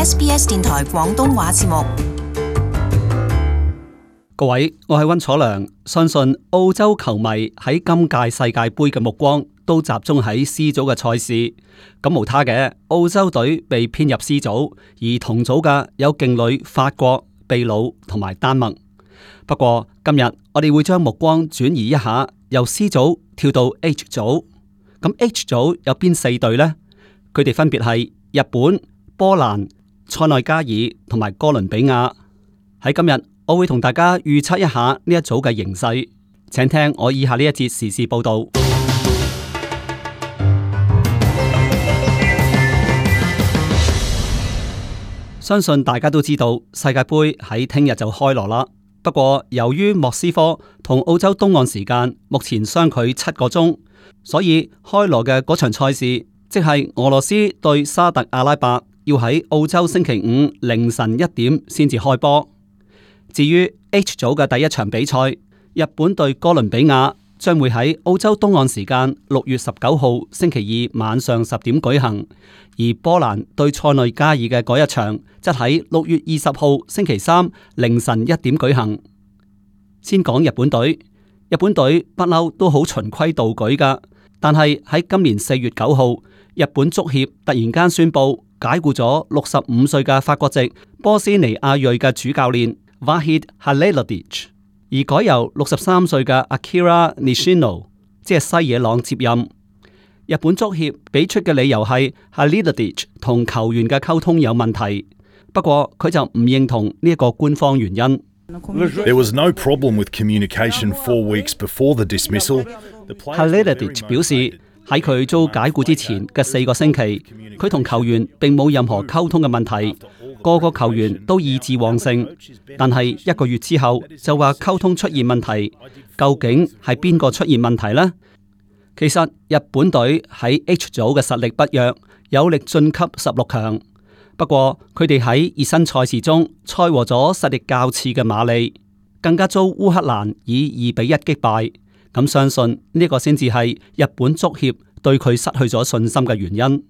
SBS 電台廣東話節目。各位，我係溫楚良，相信澳洲球迷喺今屆世界盃嘅目光都集中喺 C 組嘅賽事。咁無他嘅，澳洲隊被編入 C 組，而同組嘅有勁旅法國、秘魯同埋丹麥。不過今日我哋會將目光轉移一下，由 C 組跳到 H 組。咁 H 組有邊4隊呢？佢哋分別係日本、波蘭、塞內加爾同埋哥倫比亞。喺今日我會同大家預測一下呢一組嘅形勢，請聽我以下呢一節時事報道。相信大家都知道世界盃喺聽日就開鑼啦。不過由於莫斯科同澳洲東岸時間目前相距7個鐘，所以開鑼嘅嗰場賽事，即係俄羅斯對沙特阿拉伯，要喺澳洲星期5凌晨1點先至開波。至於 H 組嘅第一場比賽，日本對哥倫比亞將會喺澳洲東岸時間6月19號星期2晚上10點舉行，而波蘭對塞內加爾嘅嗰一場則喺6月20號星期3凌晨1點舉行。先講日本隊，日本隊不嬲都好循規蹈矩㗎，但係喺今年4月9號，日本足協突然間宣布解僱咗65歲嘅法國籍波斯尼亞裔嘅主教練Vahid Halilhodžić， 而改由63歲嘅 Akira Nishino， 即係西野朗接任。日本足協俾出嘅理由係 Halilhodžić 同球員嘅溝通有問題，不過佢就唔認同呢一個官方原因。There was no problem with communication 4 weeks before the dismissal. Halilhodžić 表示喺佢遭解僱之前嘅4個星期，佢同球員並冇任何溝通嘅問題。個個球員都意志旺盛，但係1個月之後就話溝通出現問題，究竟係邊個出現問題呢？其實日本隊喺 H 組嘅實力不弱，有力晉級16強。不過佢哋喺熱身賽事中賽和咗實力較次嘅馬利，更加遭烏克蘭以2-1擊敗。咁相信呢個先至係日本足協對佢失去咗信心嘅原因。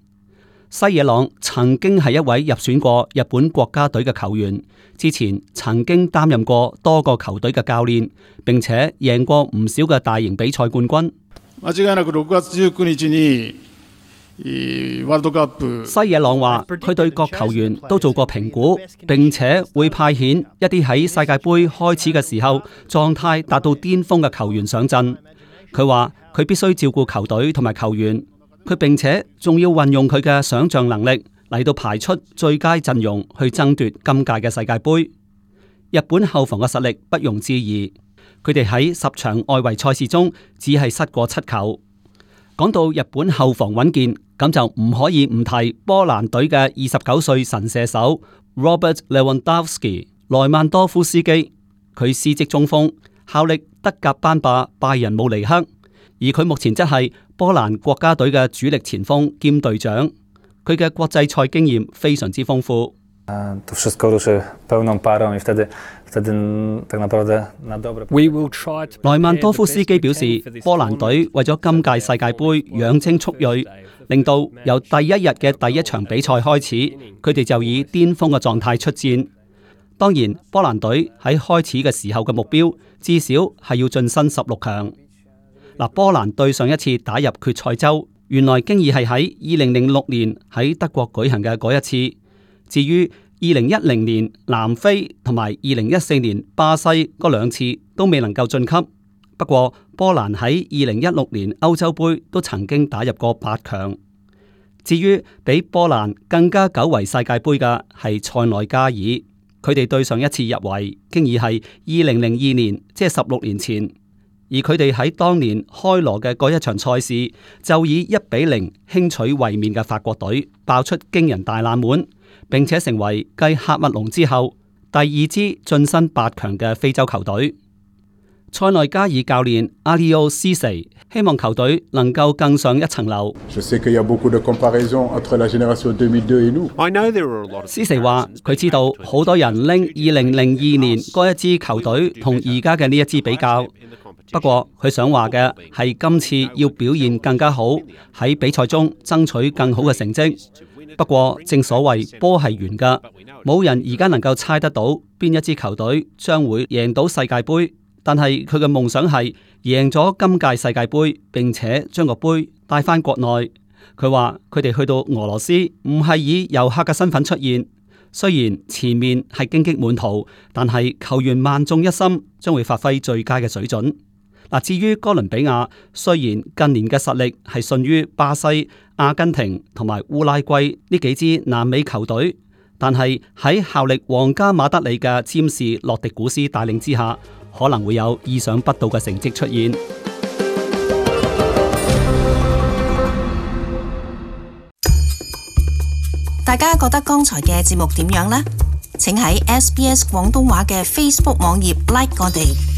西野朗曾經係一位入選過日本國家隊嘅球員，之前曾經擔任過多個球隊嘅教練，並且贏過唔少嘅大型比賽冠軍。間違いなく6月19日にワールドカップ。西野朗話佢對各球員都做過評估，並且會派遣一啲喺世界盃開始嘅時候狀態達到巔峰嘅球員上陣。佢話佢必須照顧球隊同埋球員。佢並且仲要運用佢嘅想象能力嚟到排出最佳陣容去爭奪今屆嘅世界盃。日本後防嘅實力不容置疑，佢哋喺10場外圍賽事中只係失過7球。講到日本後防穩健，咁就唔可以唔提波蘭隊嘅29歲神射手 Robert Lewandowski 萊曼多夫斯基。佢司職中鋒，效力德甲班霸拜仁慕尼黑，而佢目前則係波蘭國家隊嘅主力前鋒兼隊長，佢嘅國際賽經驗非常之豐富。萊曼多夫斯基表示，波蘭隊為咗今屆世界盃養精蓄銳，令到由第一日嘅第一場比賽開始，佢哋就以巔峰嘅狀態出戰。當然，波蘭隊喺開始嘅時候嘅目標至少係要晉身16強。波蘭對上一次打入決賽周，原來經已係喺2006年喺德國舉行嘅嗰一次。至於2010年南非同埋2014年巴西嗰2次都未能夠晉級。不過波蘭喺2016年歐洲盃都曾經打入過8強。至於比波蘭更加久違世界盃嘅係塞內加爾，佢哋對上一次入圍經已係2002年，即係16年前。而佢哋喺當年開鑼嘅嗰一場賽事，就以1-0輕取衛冕嘅法國隊，爆出驚人大冷門，並且成為繼喀麥隆之後第2支晉身8強嘅非洲球隊。塞內加爾教練阿里奧斯塞希望球隊能夠更上一層樓。斯塞話佢知道好多人拎2002年嗰一支球隊同而家嘅呢一支比較。不過佢想話嘅係今次要表現更加好，喺比賽中爭取更好嘅成績。不過正所謂波係圓㗎，冇人而家能夠猜得到邊一支球隊將會贏到世界盃，但係佢嘅夢想係贏咗今屆世界盃，並且將個盃帶返國內。佢話佢哋去到俄羅斯唔係以遊客嘅身份出現，雖然前面係荊棘滿途，但係球員萬眾一心，將會發揮最佳嘅水準。嗱，至於哥倫比亞，雖然近年嘅實力係遜於巴西、阿根廷同埋烏拉圭呢幾支南美球隊，但係喺效力皇家馬德里嘅詹士洛迪古斯帶領之下，可能會有意想不到嘅成績出現。大家覺得剛才嘅節目點樣呢？請喺SBS 廣東話嘅 Facebook 網頁 like 我哋。